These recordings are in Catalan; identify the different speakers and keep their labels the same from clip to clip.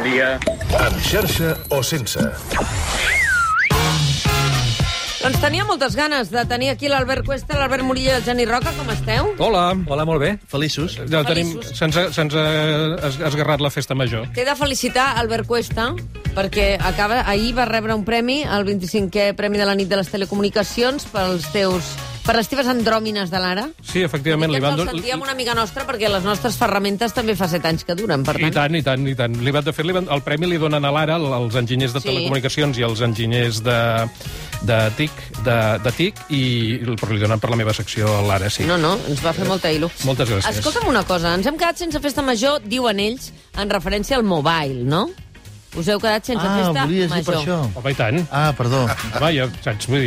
Speaker 1: dia.
Speaker 2: Amb xarxa o sense.
Speaker 3: Doncs tenia moltes ganes de tenir aquí l'Albert Cuesta, l'Albert Murillo i el Geni Roca. Com esteu?
Speaker 4: Hola.
Speaker 5: Hola, molt bé. Feliços.
Speaker 4: Ja se'ns ha esgarrat la festa major.
Speaker 3: T'he de felicitar, Albert Cuesta, perquè ahir va rebre un premi, el 25è Premi de la Nit de les Telecomunicacions, per les teves andròmines de l'ara.
Speaker 4: Sí, efectivament.
Speaker 3: Li el sentíem una amiga nostra, perquè les nostres ferramentes també fa 7 anys que duren, per tant.
Speaker 4: I tant. El premi li donen a l'ara als enginyers de telecomunicacions i als enginyers de TIC, però li donen per la meva secció a l'ara, sí.
Speaker 3: No, ens va fer molta il·lu.
Speaker 4: Moltes gràcies.
Speaker 3: Escolta'm una cosa, ens hem quedat sense festa major, diuen ells, en referència al mobile, no? Us heu quedat sense festa
Speaker 5: volies dir per
Speaker 3: major.
Speaker 5: això.
Speaker 4: Home, i tant.
Speaker 5: Perdó.
Speaker 4: Home,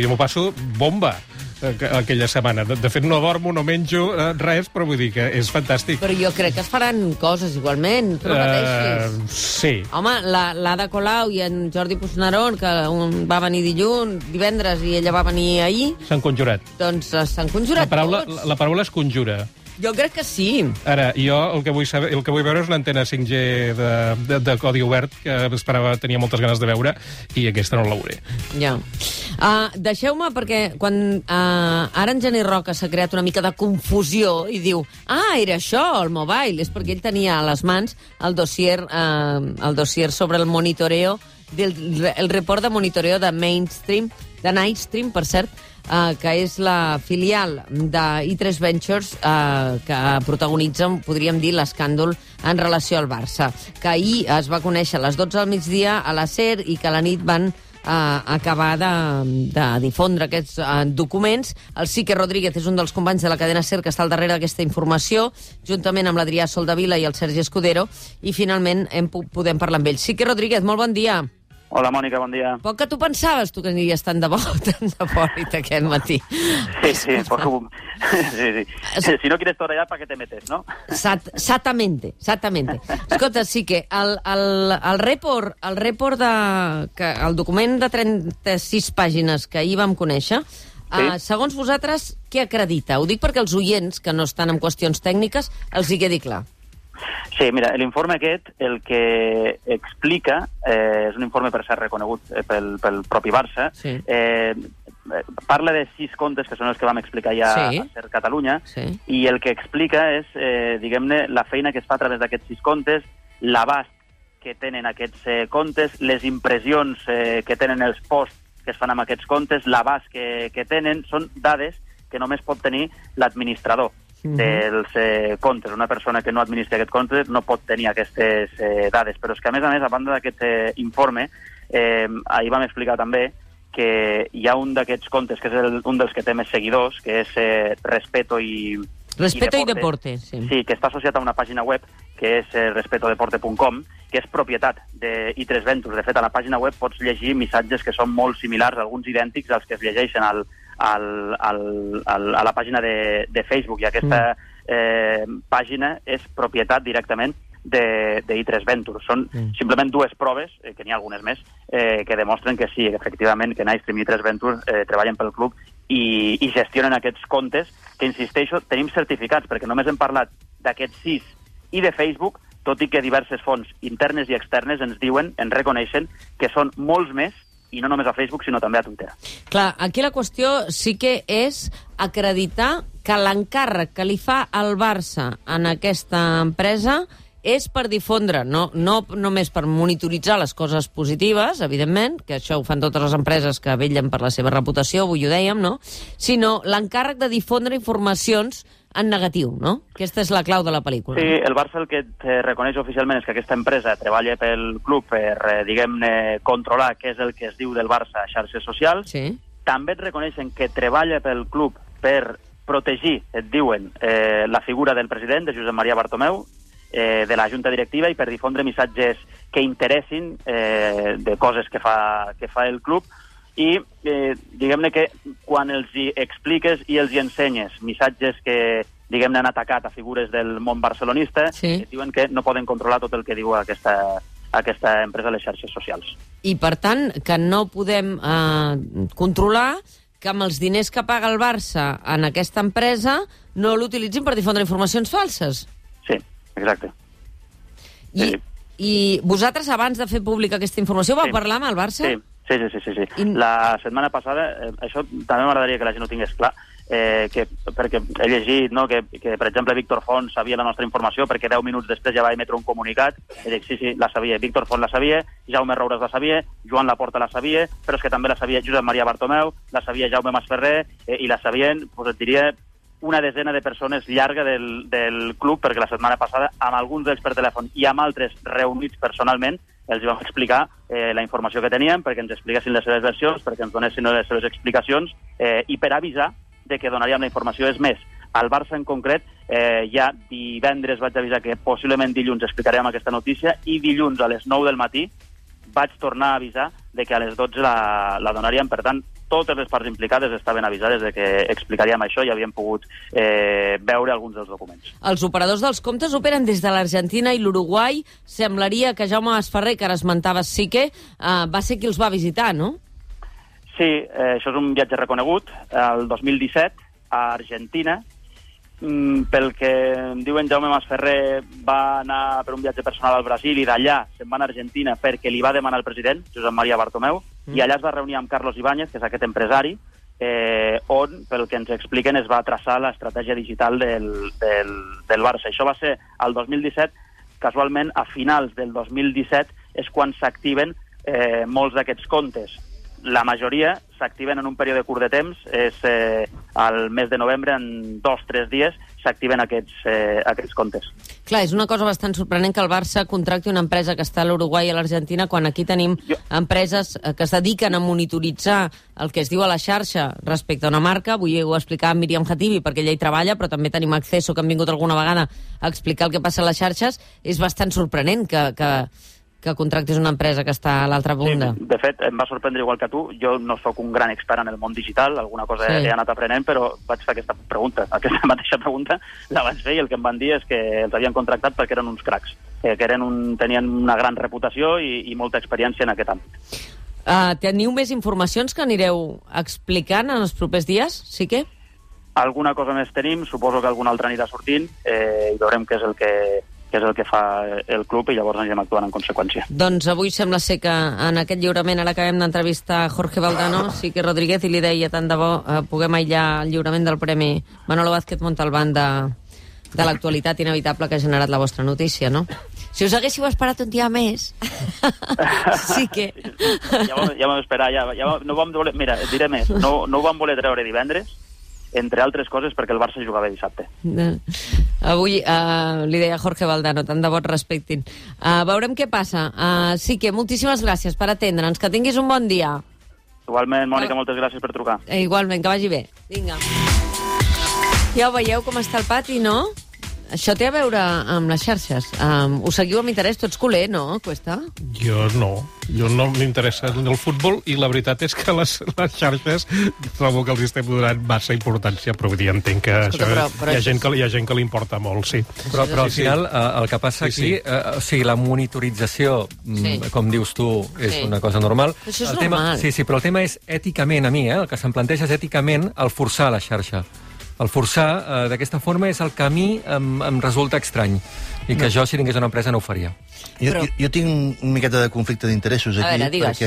Speaker 4: jo m'ho passo bomba aquella setmana. De fet, no dormo, no menjo res, però vull dir que és fantàstic.
Speaker 3: Però jo crec que es faran coses igualment, tu no pateixis.
Speaker 4: Sí.
Speaker 3: Home, l'Ada Colau i en Jordi Puigneró, que un va venir divendres i ella va venir ahir,
Speaker 4: S'han conjurat.
Speaker 3: doncs s'han conjurat tots.
Speaker 4: La paraula es conjura.
Speaker 3: Jo crec que sí.
Speaker 4: Ara, jo el que vull veure és una antena 5G de codi obert, que tenia moltes ganes de veure, i aquesta no la veuré.
Speaker 3: Ja. Deixeu-me, perquè quan ara en Geni Roca s'ha creat una mica de confusió i diu, era això, el mobile, és perquè ell tenia a les mans el dossier sobre el monitoreo, el report de monitoreo de Nightstream, per cert, que és la filial de i3 Ventures que protagonitza, podríem dir, l'escàndol en relació al Barça, que ahir es va conèixer a les 12 del migdia a la SER i que a la nit van acabar de difondre aquests documents. El Sique Rodríguez és un dels companys de la cadena SER que està al darrere d'aquesta informació, juntament amb l'Adrià Soldavila i el Sergi Escudero, i finalment podem parlar amb ell. Sique Rodríguez, molt bon dia.
Speaker 1: Hola, Mònica, bon dia.
Speaker 3: Poc que tu pensaves, tu que aniries tan de bòlit aquest matí.
Speaker 1: Sí, poco. Sí. Si no quieres torear, ¿para qué te metes, no?
Speaker 3: Exactamente. Escolta, sí que el report el document de 36 pàgines que ahir vam conèixer, segons vosaltres, què acredita? Ho dic perquè els oients, que no estan en qüestions tècniques, els hi quedi clar.
Speaker 1: Sí, mira, l'informe aquest el que explica, és un informe per ser reconegut pel propi Barça, parla de 6 contes, que són els que vam explicar ja a SER Catalunya, i el que explica és, diguem-ne, la feina que es fa a través d'aquests 6 contes, l'abast que tenen aquests contes, les impressions que tenen els posts que es fan amb aquests contes, l'abast que tenen, són dades que només pot tenir l'administrador dels comptes. Una persona que no administra aquest compte no pot tenir aquestes dades. Però és que, a més, a banda d'aquest informe, ahir vam explicar també que hi ha un d'aquests comptes, que és un dels que té més seguidors, que és Respeto i
Speaker 3: Deporte.
Speaker 1: Sí, que està associat a una pàgina web, que és respetodeporte.com, que és propietat d'I3 Ventures. De fet, a la pàgina web pots llegir missatges que són molt similars, alguns idèntics als que es llegeixen a la pàgina de Facebook, i aquesta pàgina és propietat directament d'I3 Ventures. Són simplement 2 proves, que n'hi ha algunes més, que demostren que sí, efectivament, que Nightstream i I3 Ventures treballen pel club i gestionen aquests comptes, que, insisteixo, tenim certificats, perquè només hem parlat d'aquests 6 i de Facebook, tot i que diverses fonts internes i externes ens reconeixen que són molts més, i no només a Facebook, sinó també a Twitter.
Speaker 3: Clar, aquí la qüestió sí que és acreditar que l'encàrrec que li fa el Barça en aquesta empresa és per difondre, no només per monitoritzar les coses positives, evidentment, que això ho fan totes les empreses que vetllen per la seva reputació, avui ho dèiem, no? Sinó l'encàrrec de difondre informacions en negatiu, no? Aquesta és la clau de la pel·lícula.
Speaker 1: Sí, el Barça el que reconeix oficialment és que aquesta empresa treballa pel club per, diguem-ne, controlar què és el que es diu del Barça a xarxes socials.
Speaker 3: Sí.
Speaker 1: També et reconeixen que treballa pel club per protegir, et diuen, la figura del president, de Josep Maria Bartomeu, de la junta directiva, i per difondre missatges que interessin de coses que fa el club, i diguem-ne que quan els hi expliques i els hi ensenyes missatges que, diguem-ne, han atacat a figures del món barcelonista, diuen que no poden controlar tot el que diu aquesta empresa a les xarxes socials.
Speaker 3: I, per tant, que no podem controlar que amb els diners que paga el Barça en aquesta empresa no l'utilitzin per difondre informacions falses.
Speaker 1: Sí, exacte.
Speaker 3: I I vosaltres, abans de fer pública aquesta informació, vau parlar amb el Barça?
Speaker 1: Sí. La setmana passada, això també m'agradaria que la gent ho tingués clar, perquè he llegit que, per exemple, Víctor Font sabia la nostra informació perquè 10 minuts després ja va emetre un comunicat i dic, sí, la sabia, Víctor Font la sabia, Jaume Roures la sabia, Joan Laporta la sabia, però és que també la sabia Josep Maria Bartomeu, la sabia Jaume Masferrer i la sabien, et diria, una desena de persones llarga del club, perquè la setmana passada, amb alguns d'ells per telèfon i amb altres reunits personalment, els vam explicar la informació que teníem, perquè ens expliquessin les seves versions, perquè ens donessin les seves explicacions, i per avisar de que donaríem la informació. És més, al Barça en concret, ja divendres vaig avisar que possiblement dilluns explicarem aquesta notícia, i dilluns a les 9 del matí vaig tornar a avisar de que a les 12 la donaríem. Per tant, totes les parts implicades estaven avisades de que explicaríem això i havíem pogut veure alguns dels documents.
Speaker 3: Els operadors dels comptes operen des de l'Argentina i l'Uruguai. Semblaria que Jaume Masferrer, que ara esmentaves Sique, va ser qui els va visitar, no?
Speaker 1: Sí, això és un viatge reconegut. El 2017, a Argentina, pel que em diuen, Jaume Masferrer va anar per un viatge personal al Brasil i d'allà se'n va a Argentina perquè li va demanar el president, Josep Maria Bartomeu, i allà es va reunir amb Carlos Ibáñez, que és aquest empresari, on, pel que ens expliquen, es va traçar l'estratègia digital del Barça. Això va ser el 2017. Casualment, a finals del 2017 és quan s'activen molts d'aquests comptes. La majoria s'activen en un període curt de temps, és al mes de novembre, en 2-3 dies, s'activen aquests comptes.
Speaker 3: Clar, és una cosa bastant sorprenent que el Barça contracti una empresa que està a l'Uruguai i a l'Argentina, quan aquí tenim empreses que es dediquen a monitoritzar el que es diu a la xarxa respecte a una marca. Avui ho ha explicat Míriam Khatibi, perquè ella hi treballa, però també tenim Acceso, que han vingut alguna vegada a explicar el que passa a les xarxes. És bastant sorprenent que contractis una empresa que està a l'altra banda.
Speaker 1: Sí, de fet, em va sorprendre igual que tu. Jo no sóc un gran expert en el món digital, alguna cosa he anat aprenent, però vaig fer aquesta mateixa pregunta la vaig fer, i el que em van dir és que els havien contractat perquè eren uns cracs, que tenien una gran reputació i molta experiència en aquest àmbit.
Speaker 3: Teniu més informacions que anireu explicant en els propers dies, sí que?
Speaker 1: Alguna cosa més tenim, suposo que alguna altra anirà sortint, i veurem què és el que fa el club, i llavors anirem actuant en conseqüència.
Speaker 3: Doncs avui sembla ser que en aquest lliurament ara acabem d'entrevistar Jorge Valdano, Sique Rodríguez, i li deia, tant de bo puguem aïllar el lliurament del Premi Manolo Vázquez Montalbán de l'actualitat inevitable que ha generat la vostra notícia, no? Si us haguéssiu esperat un dia més, sí que...
Speaker 1: Ja vam esperar, no vam voler... Mira, et diré més, no ho vam voler treure divendres, entre altres coses perquè el Barça jugava dissabte.
Speaker 3: Avui li deia Jorge Valdano, tant de bo et respectin. Veurem què passa. Sí que moltíssimes gràcies per atendre'ns, que tinguis un bon dia.
Speaker 1: Igualment, Mònica, moltes gràcies per trucar.
Speaker 3: Igualment, que vagi bé. Vinga. Ja ho veieu com està el pati, no? Això té a veure amb les xarxes. Ho seguiu amb interès? Tu ets culer, no, Cuesta?
Speaker 4: Jo no m'interessa el futbol, i la veritat és que les xarxes trobo que els estem donant massa importància, però ja entenc que hi ha gent que li importa molt, sí.
Speaker 5: Però al final el que passa aquí, o sigui, la monitorització, com dius tu, és una cosa normal.
Speaker 3: Això és normal.
Speaker 5: Sí, però el tema és èticament, a mi, el que se'm planteja és èticament el forçar la xarxa. El forçar d'aquesta forma és el que a mi em resulta estrany, i que jo, si tingués una empresa, no ho faria.
Speaker 6: Jo tinc una miqueta de conflicte d'interessos aquí.
Speaker 3: A veure, digues.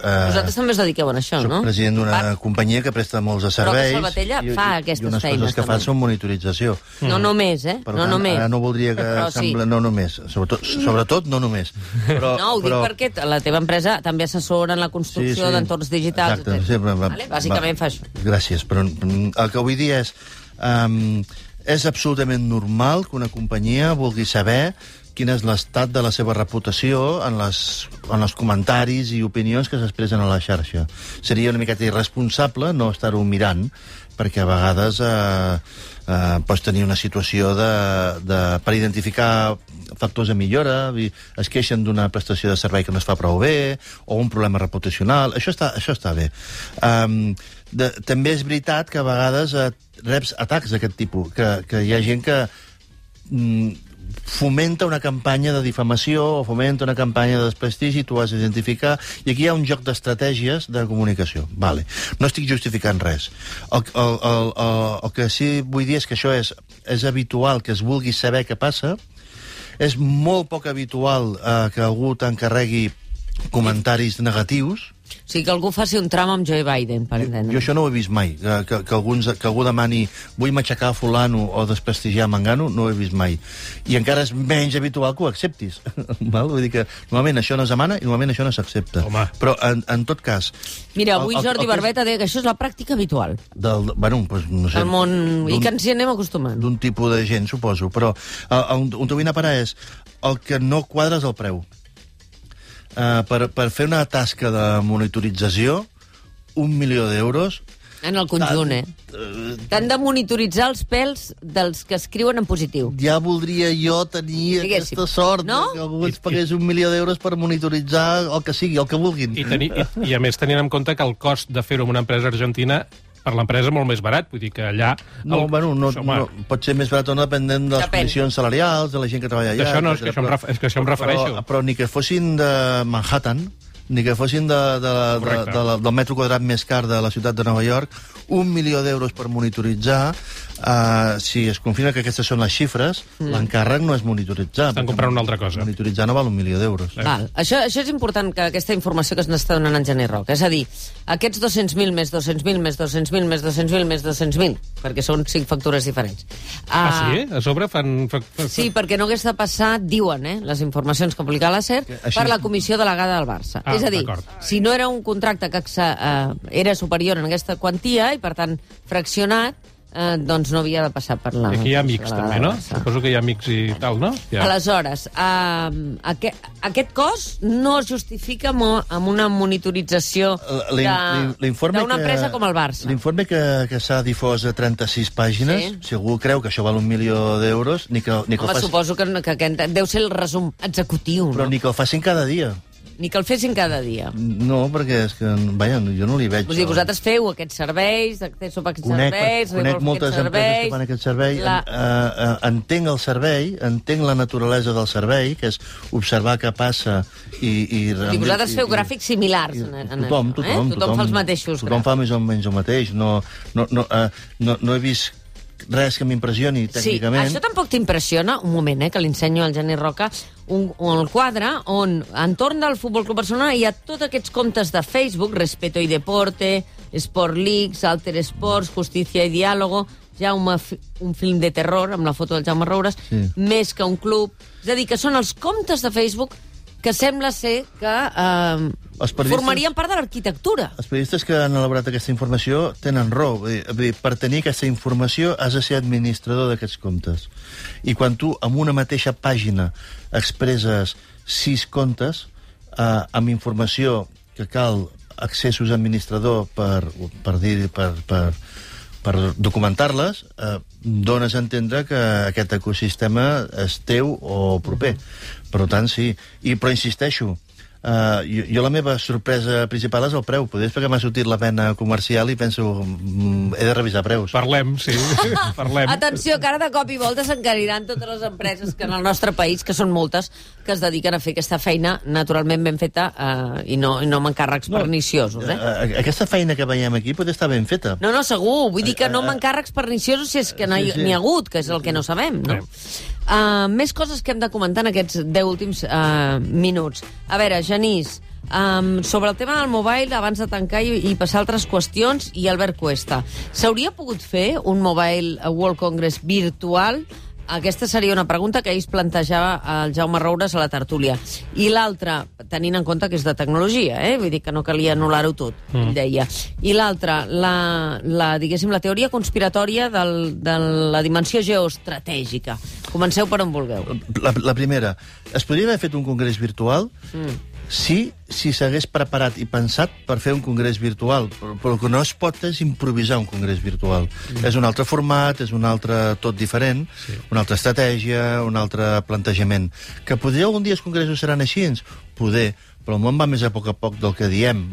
Speaker 3: Vosaltres també us dediqueu a això, no?
Speaker 6: Soc president d'una companyia que presta molts de serveis.
Speaker 3: Però que Salvatella fa aquestes feines.
Speaker 6: I unes coses que fan són monitorització.
Speaker 3: No només, eh?
Speaker 6: Per tant, ara no voldria que sembla... No només. Sobretot, no només.
Speaker 3: No, ho dic perquè la teva empresa també assessora en la construcció d'entorns digitals.
Speaker 6: Exacte.
Speaker 3: Bàsicament fa això.
Speaker 6: Gràcies, però el que vull dir és absolutament normal que una companyia vulgui saber quin és l'estat de la seva reputació en els comentaris i opinions que s'expressen a la xarxa. Seria una miqueta irresponsable no estar-ho mirant, perquè a vegades pots tenir una situació per identificar factors de millora, es queixen d'una prestació de servei que no es fa prou bé, o un problema reputacional. Això està bé. També és veritat que a vegades reps atacs d'aquest tipus, que hi ha gent que fomenta una campanya de difamació o fomenta una campanya de desprestigi, tu has d'identificar, i aquí hi ha un joc d'estratègies de comunicació. Vale. No estic justificant res. El que sí vull dir és que això és habitual, que es vulgui saber què passa, És molt poc habitual que algú t'encarregui comentaris negatius.
Speaker 3: O sigui, que algú faci un tram amb Joe Biden, per entendre.
Speaker 6: Jo això no ho he vist mai. Que algú demani vull matxacar fulano o desprestigiar mangano, no ho he vist mai. I encara és menys habitual que ho acceptis. Vull dir que normalment això no es demana i normalment això no s'accepta. Però, en tot cas...
Speaker 3: Mira, avui Jordi Barbeta deia que això és la pràctica habitual.
Speaker 6: Bueno, no sé...
Speaker 3: Del món... I que ens hi anem acostumant.
Speaker 6: D'un tipus de gent, suposo. Però on t'ho vull anar a parar és el que no quadra és el preu. Per fer una tasca de monitorització, 1 milió d'euros...
Speaker 3: En el conjunt, T'han de monitoritzar els pèls dels que escriuen en positiu.
Speaker 6: Ja voldria jo tenir aquesta sort, que algú ens pagués 1 milió d'euros per monitoritzar el que sigui, el que vulguin.
Speaker 4: I a més, tenint en compte que el cost de fer-ho en una empresa argentina per l'empresa molt més barat, vull dir que allà...
Speaker 6: No, pot ser més barat o no, depenent de les condicions salarials, de la gent que treballa allà...
Speaker 4: Això no, és que això em refereixo.
Speaker 6: Però ni que fossin de Manhattan, ni que fossin del metro quadrat més car de la ciutat de Nova York, 1 milió d'euros per monitoritzar, si es confirma que aquestes són les xifres, l'encàrrec no és monitoritzar.
Speaker 4: Estan comprant una altra cosa.
Speaker 6: Monitoritzar no val 1 milió d'euros.
Speaker 3: Això és important, que aquesta informació que ens està donant en Gener Roca. És a dir, aquests 200.000 més 200.000 més 200.000 més 200.000 més 200.000, perquè són 5 factures diferents.
Speaker 4: Sí? A sobre fan...
Speaker 3: Sí, perquè no hagués de passar, diuen, les informacions que publica la SER, per la comissió delegada del Barça. És a dir, si no era un contracte que era superior en aquesta quantia i, per tant, fraccionat, doncs no havia de passar per la...
Speaker 4: Aquí hi ha amics, també, no? Suposo que hi ha amics i tal, no?
Speaker 3: Aleshores, aquest cost no es justifica amb una monitorització d'una empresa com el Barça.
Speaker 6: L'informe que s'ha difós a 36 pàgines, si algú creu que això val 1 milió d'euros, ni que el
Speaker 3: faci... Suposo que deu ser el resum executiu,
Speaker 6: però ni que el facin cada dia.
Speaker 3: Ni que el fessin cada dia.
Speaker 6: No, perquè és que, vaja, jo no li veig...
Speaker 3: Vull dir, vosaltres feu aquests serveis, acceso per aquests serveis...
Speaker 6: Conec moltes empreses que fan aquest servei, entenc el servei, entenc la naturalesa del servei, que és observar què passa i
Speaker 3: vosaltres feu gràfics similars. Tothom fa els mateixos.
Speaker 6: Tothom fa més o menys el mateix. No he vist res que m'impressioni tècnicament.
Speaker 3: Sí, això tampoc t'impressiona, un moment, que li ensenyo al Gener Roca, un quadre on, entorn del Futbol Club Barcelona, hi ha tots aquests comptes de Facebook, Respeto y Deporte, Sport Leaks, Alter Sports, Justicia y Diálogo, Jaume, un film de terror, amb la foto del Jaume Roures, Més que un club... És a dir, que són els comptes de Facebook que sembla ser que formarien part de l'arquitectura.
Speaker 6: Els periodistes que han elaborat aquesta informació tenen raó. Per tenir aquesta informació has de ser administrador d'aquests comptes. I quan tu, amb una mateixa pàgina, expresses 6 comptes amb informació que cal accessos a administrador per documentar-les, dones a entendre que aquest ecosistema és teu o proper. Per tant, sí. Però insisteixo, jo la meva sorpresa principal és el preu. Potser és perquè m'ha sortit la pena comercial i penso, he de revisar preus.
Speaker 4: Parlem, sí. Parlem.
Speaker 3: Atenció, que ara de cop i volta s'encariran totes les empreses que en el nostre país, que són moltes, que es dediquen a fer aquesta feina naturalment ben feta i no amb encàrrecs perniciosos.
Speaker 6: Aquesta feina que veiem aquí pot estar ben feta.
Speaker 3: No, segur. Vull dir que no amb encàrrecs perniciosos si és que n'hi ha hagut, que és el que no sabem, no? Més coses que hem de comentar en aquests 10 últims minuts. A veure, Genís, sobre el tema del mobile, abans de tancar i passar a altres qüestions, i Albert Cuesta. S'hauria pogut fer un Mobile World Congress virtual? Aquesta seria una pregunta que ahir es plantejava el Jaume Roures a la tertúlia. I l'altra, tenint en compte que és de tecnologia, vull dir que no calia anul·lar-ho tot, ell deia. I l'altra, diguéssim, la teoria conspiratòria de la dimensió geoestratègica. Comenceu per on vulgueu.
Speaker 6: La primera, es podria haver fet un congrés virtual? Sí, si s'hagués preparat i pensat per fer un congrés virtual, però el que no es pot és improvisar un congrés virtual. És un altre format, és un altre tot diferent, una altra estratègia, un altre plantejament. Que potser algun dia els congressos seran així? Poder, però el món va més a poc del que diem.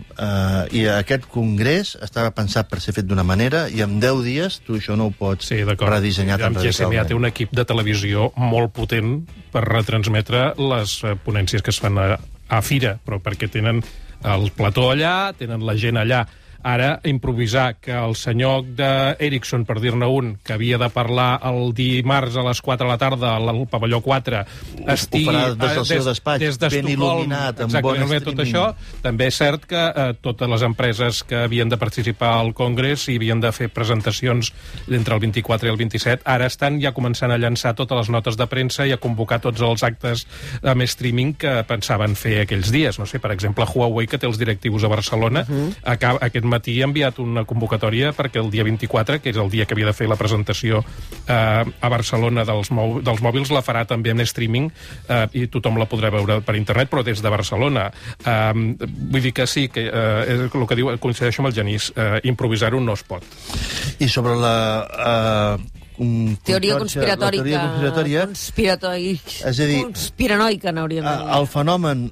Speaker 6: I aquest congrés estava pensat per ser fet d'una manera i en 10 dies tu això no ho pots redissenyar tan radicalment.
Speaker 4: GSMA té un equip de televisió molt potent per retransmetre les ponències que es fan a Fira, però perquè tenen el plató allà, tenen la gent allà Ara, improvisar que el senyor d'Ericsson, per dir-ne un, que havia de parlar el dimarts a les 4 de la tarda al pavelló 4, estigui...
Speaker 6: Ho farà des del seu despatx, ben il·luminat, amb bon streaming.
Speaker 4: Tot això, també és cert que totes les empreses que havien de participar al Congrés i havien de fer presentacions entre el 24 i el 27, ara estan ja començant a llançar totes les notes de premsa i a convocar tots els actes amb streaming que pensaven fer aquells dies. No sé, per exemple, Huawei, que té els directius a Barcelona, aquest matí ha enviat una convocatòria perquè el dia 24, que és el dia que havia de fer la presentació a Barcelona dels mòbils, la farà també en streaming i tothom la podrà veure per internet, però des de Barcelona. Vull dir que sí, que el que diu, coincideixo amb el Genís, improvisar-ho no es pot.
Speaker 6: I sobre la...
Speaker 3: teoria conspiratòria,
Speaker 6: és a dir,
Speaker 3: conspiranoica, n'hauríem de dir.
Speaker 6: El fenomen,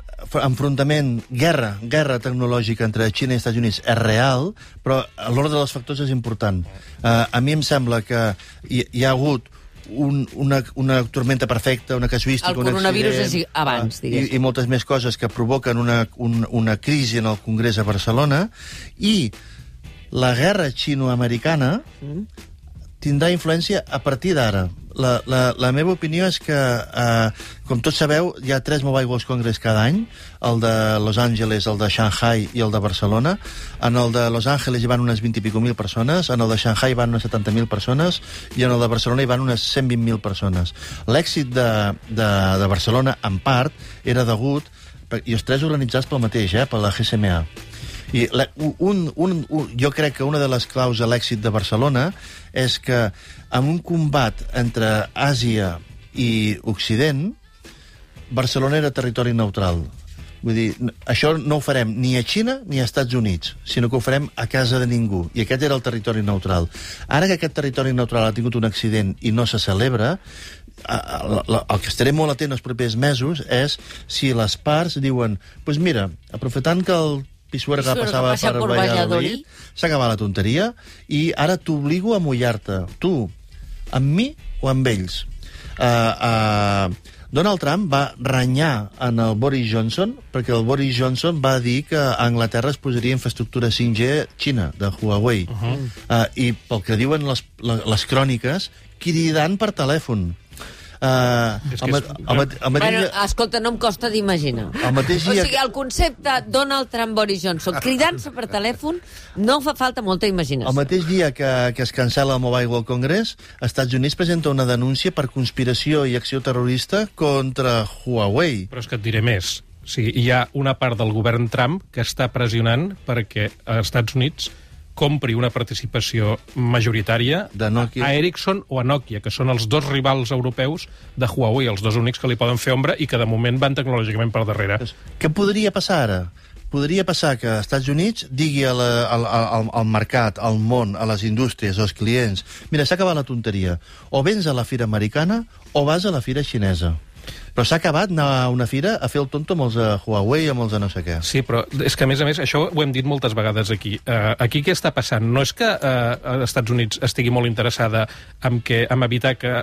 Speaker 6: enfrontament, guerra tecnològica entre Xina i Estats Units és real, però l'ordre dels factors és important. A mi em sembla que hi ha hagut una tormenta perfecta, una casuística, un accident...
Speaker 3: El coronavirus és abans, diguéssim.
Speaker 6: I moltes més coses que provoquen una crisi en el Congrés a Barcelona, i la guerra xino-americana tindrà influència a partir d'ara. La meva opinió és que, com tots sabeu, hi ha 3 Mobile World Congress cada any, el de Los Angeles, el de Shanghai i el de Barcelona. En el de Los Angeles hi van unes 20 i pico mil persones, en el de Shanghai hi van unes 70.000 persones i en el de Barcelona hi van unes 120.000 persones. L'èxit de Barcelona, en part, era degut, i els 3 organitzats pel mateix, per la GSMA. I jo crec que una de les claus a l'èxit de Barcelona és que en un combat entre Àsia i Occident, Barcelona era territori neutral. Vull dir, això no ho farem ni a Xina ni a Estats Units, sinó que ho farem a casa de ningú. I aquest era el territori neutral. Ara que aquest territori neutral ha tingut un accident i no se celebra, el que estaré molt atent els propers mesos és si les parts diuen, doncs mira, aprofitant que el Pisuerga passava per Valladolid, s'ha acabat la tonteria i ara t'obligo a mullar-te, tu, amb mi o amb ells. Donald Trump va renyar en el Boris Johnson perquè el Boris Johnson va dir que a Anglaterra es posaria infraestructura 5G Xina, de Huawei. I pel que diuen les cròniques, cridant per telèfon.
Speaker 3: Escolta, no em costa d'imaginar. O sigui, el concepte Donald Trump-Boris Johnson cridant-se per telèfon no fa falta molta imaginació.
Speaker 6: El mateix dia que es cancela el Mobile World Congress, Estats Units presenta una denúncia per conspiració i acció terrorista contra Huawei.
Speaker 4: Però és que et diré més. O sigui, hi ha una part del govern Trump que està pressionant perquè als Estats Units compri una participació majoritària a Ericsson o a Nokia, que són els 2 rivals europeus de Huawei, els 2 únics que li poden fer ombra i que de moment van tecnològicament per darrere.
Speaker 6: Què podria passar ara? Podria passar que als Estats Units digui al mercat, al món, a les indústries, als clients, mira, s'ha acabat la tonteria. O vens a la fira americana o vas a la fira xinesa. Però s'ha acabat anar a una fira a fer el tonto amb els de Huawei, amb els de no sé què.
Speaker 4: Sí, però és que, a més, això ho hem dit moltes vegades aquí. Aquí què està passant? No és que els Estats Units estigui molt interessada en evitar que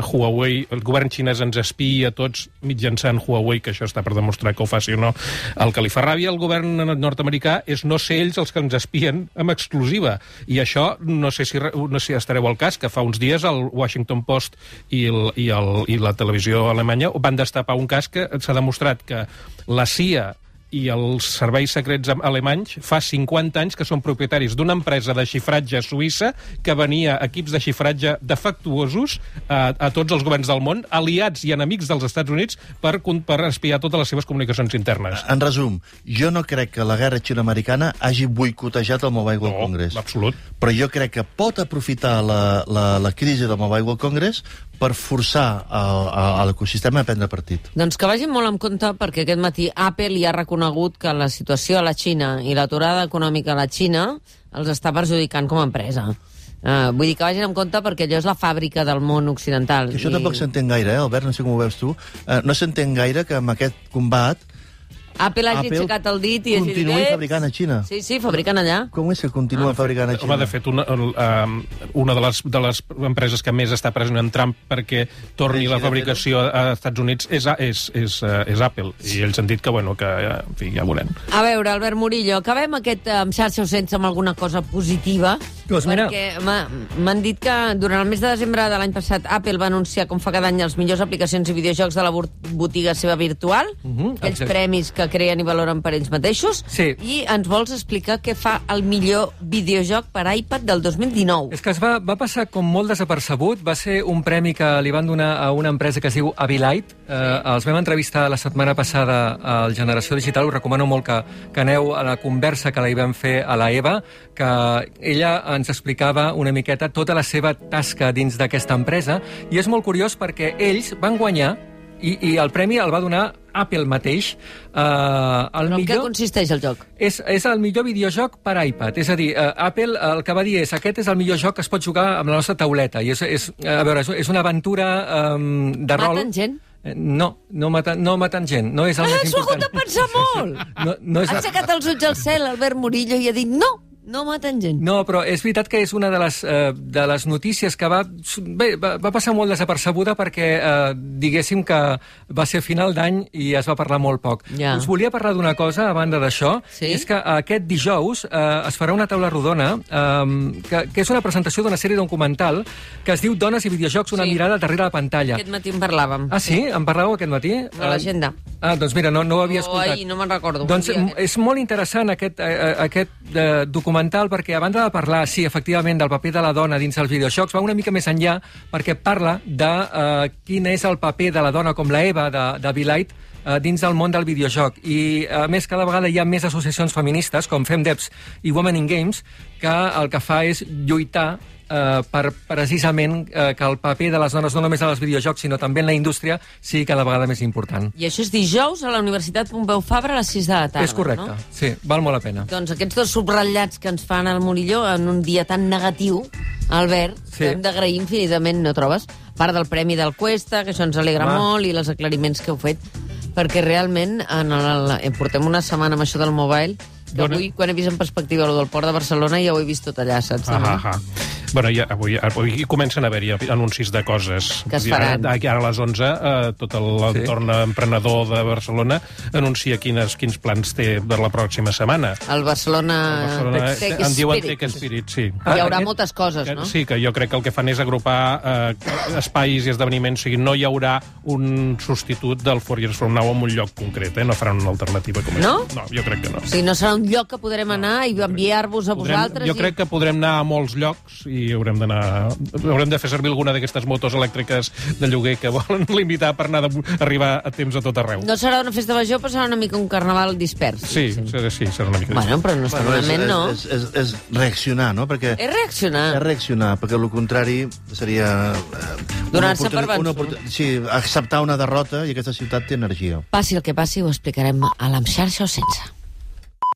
Speaker 4: Huawei, el govern xinès ens espiï a tots mitjançant Huawei, que això està per demostrar que ho faci o no. El que li fa ràbia al govern nord-americà és no ser ells els que ens espien amb exclusiva. I això, no sé si estareu al cas, que fa uns dies el Washington Post i la televisió alemanya van destapar un cas que s'ha demostrat que la CIA i els serveis secrets alemanys fa 50 anys que són propietaris d'una empresa de xifratge suïssa que venia equips de xifratge defectuosos a tots els governs del món, aliats i enemics dels Estats Units per espiar totes les seves comunicacions internes.
Speaker 6: En resum, jo no crec que la guerra xino-americana hagi boicotejat el Mobile World Congress.
Speaker 4: No, absolut.
Speaker 6: Però jo crec que pot aprofitar la crisi del Mobile World Congress per forçar l'ecosistema a prendre partit.
Speaker 3: Doncs que vagin molt en compte, perquè aquest matí Apple ja ha reconegut que la situació a la Xina i l'aturada econòmica a la Xina els està perjudicant com a empresa. Vull dir que vagin en compte perquè allò és la fàbrica del món occidental.
Speaker 6: Que això tampoc s'entén gaire, Albert, no sé com ho veus tu. No s'entén gaire que amb aquest combat
Speaker 3: Apple hagi aixecat el dit i hagi dit...
Speaker 6: Continuï fabricant a Xina.
Speaker 3: Sí, fabricant allà.
Speaker 6: Com és que continua fabricant a Xina?
Speaker 4: Home, de fet, una de les empreses que més està pressionant Trump perquè torni la fabricació a Estats Units és Apple. I ells han dit que, bueno, que en fi, ja veurem.
Speaker 3: A veure, Albert Murillo, acabem aquest amb xarxa o sense amb alguna cosa positiva.
Speaker 5: Doncs mira...
Speaker 3: Perquè m'han dit que durant el mes de desembre de l'any passat Apple va anunciar, com fa cada any, les millors aplicacions i videojocs de la botiga seva virtual, aquells premis que creen i valoren per ells mateixos, i ens vols explicar què fa el millor videojoc per iPad del 2019.
Speaker 5: És que es va passar com molt desapercebut, va ser un premi que li van donar a una empresa que es diu Abilite. Els vam entrevistar la setmana passada al Generació Digital, us recomano molt que aneu a la conversa que la hi vam fer a la Eva, que ella ens explicava una miqueta tota la seva tasca dins d'aquesta empresa, i és molt curiós perquè ells van guanyar i el premi el va donar Apple mateix.
Speaker 3: Però en què consisteix el joc?
Speaker 5: És el millor videojoc per iPad. És a dir, Apple el que va dir és aquest és el millor joc que es pot jugar amb la nostra tauleta. I és una aventura de rol...
Speaker 3: Maten gent?
Speaker 5: No maten gent. No és el més important.
Speaker 3: S'ho ha hagut de pensar molt! Ha aixecat els ulls al cel, Albert Murillo, i ha dit no maten gent.
Speaker 5: No, però és veritat que és una de les notícies que va passar molt desapercebuda perquè diguéssim que va ser a final d'any i es va parlar molt poc. Us volia parlar d'una cosa, a banda d'això, és que aquest dijous es farà una taula rodona que és una presentació d'una sèrie documental que es diu Dones i videojocs, una mirada darrere la pantalla.
Speaker 3: Aquest matí en parlàvem.
Speaker 5: Ah, sí? En parlàveu aquest matí?
Speaker 3: A l'agenda.
Speaker 5: Doncs mira, no ho havia escoltat.
Speaker 3: Ai, no me'n recordo.
Speaker 5: Doncs és molt interessant aquest documental perquè, a banda de parlar, sí, efectivament, del paper de la dona dins els videojocs, va una mica més enllà perquè parla de quin és el paper de la dona com la Eva de Abilite dins del món del videojoc. I, a més, cada vegada hi ha més associacions feministes, com FemDevs i Women in Games, que el que fa és lluitar per precisament que el paper de les dones no només als videojocs sinó també en la indústria sigui cada vegada més important.
Speaker 3: I això és dijous a la Universitat Pompeu Fabra a les 6 de la tarda,
Speaker 5: és correcte, no? Sí, val molt la pena.
Speaker 3: Doncs aquests dos subratllats que ens fan al Murillo en un dia tan negatiu, Albert, que hem d'agrair infinitament, no trobes? A part del Premi del Cuesta, que això ens alegra molt, i els aclariments que heu fet, perquè realment portem una setmana amb això del mobile, que avui, quan he vist en perspectiva el del Port de Barcelona, ja ho he vist tot allà, saps?
Speaker 4: Bueno, avui comencen a haver-hi anuncis de coses.
Speaker 3: Que es faran.
Speaker 4: Ara a les 11, tot l'entorn emprenedor de Barcelona anuncia quins plans té per la pròxima setmana.
Speaker 3: El Barcelona Tech Spirit.
Speaker 4: En diuen Tech Spirit, sí.
Speaker 3: Hi haurà moltes coses, no?
Speaker 4: Sí, que jo crec que el que fan és agrupar espais i esdeveniments. O sigui, no hi haurà un substitut del 4 Years From Now en un lloc concret, no faran una alternativa com
Speaker 3: no?
Speaker 4: No, jo crec que no.
Speaker 3: O sigui, no serà un lloc que podrem anar i enviar-vos a vosaltres?
Speaker 4: Jo crec que podrem anar a molts llocs i haurem de fer servir alguna d'aquestes motos elèctriques de lloguer que volen limitar per arribar a temps a tot arreu.
Speaker 3: No serà una festa major, però serà una mica un carnaval dispers.
Speaker 4: Sí, serà una mica dispers.
Speaker 3: Bueno, però normalment no.
Speaker 6: És reaccionar, no? Perquè
Speaker 3: és reaccionar.
Speaker 6: És reaccionar, perquè el contrari seria...
Speaker 3: donar-se per vençut.
Speaker 6: Sí, acceptar una derrota i aquesta ciutat té energia.
Speaker 3: Passi el que passi, ho explicarem a l'Amxarxa o sense.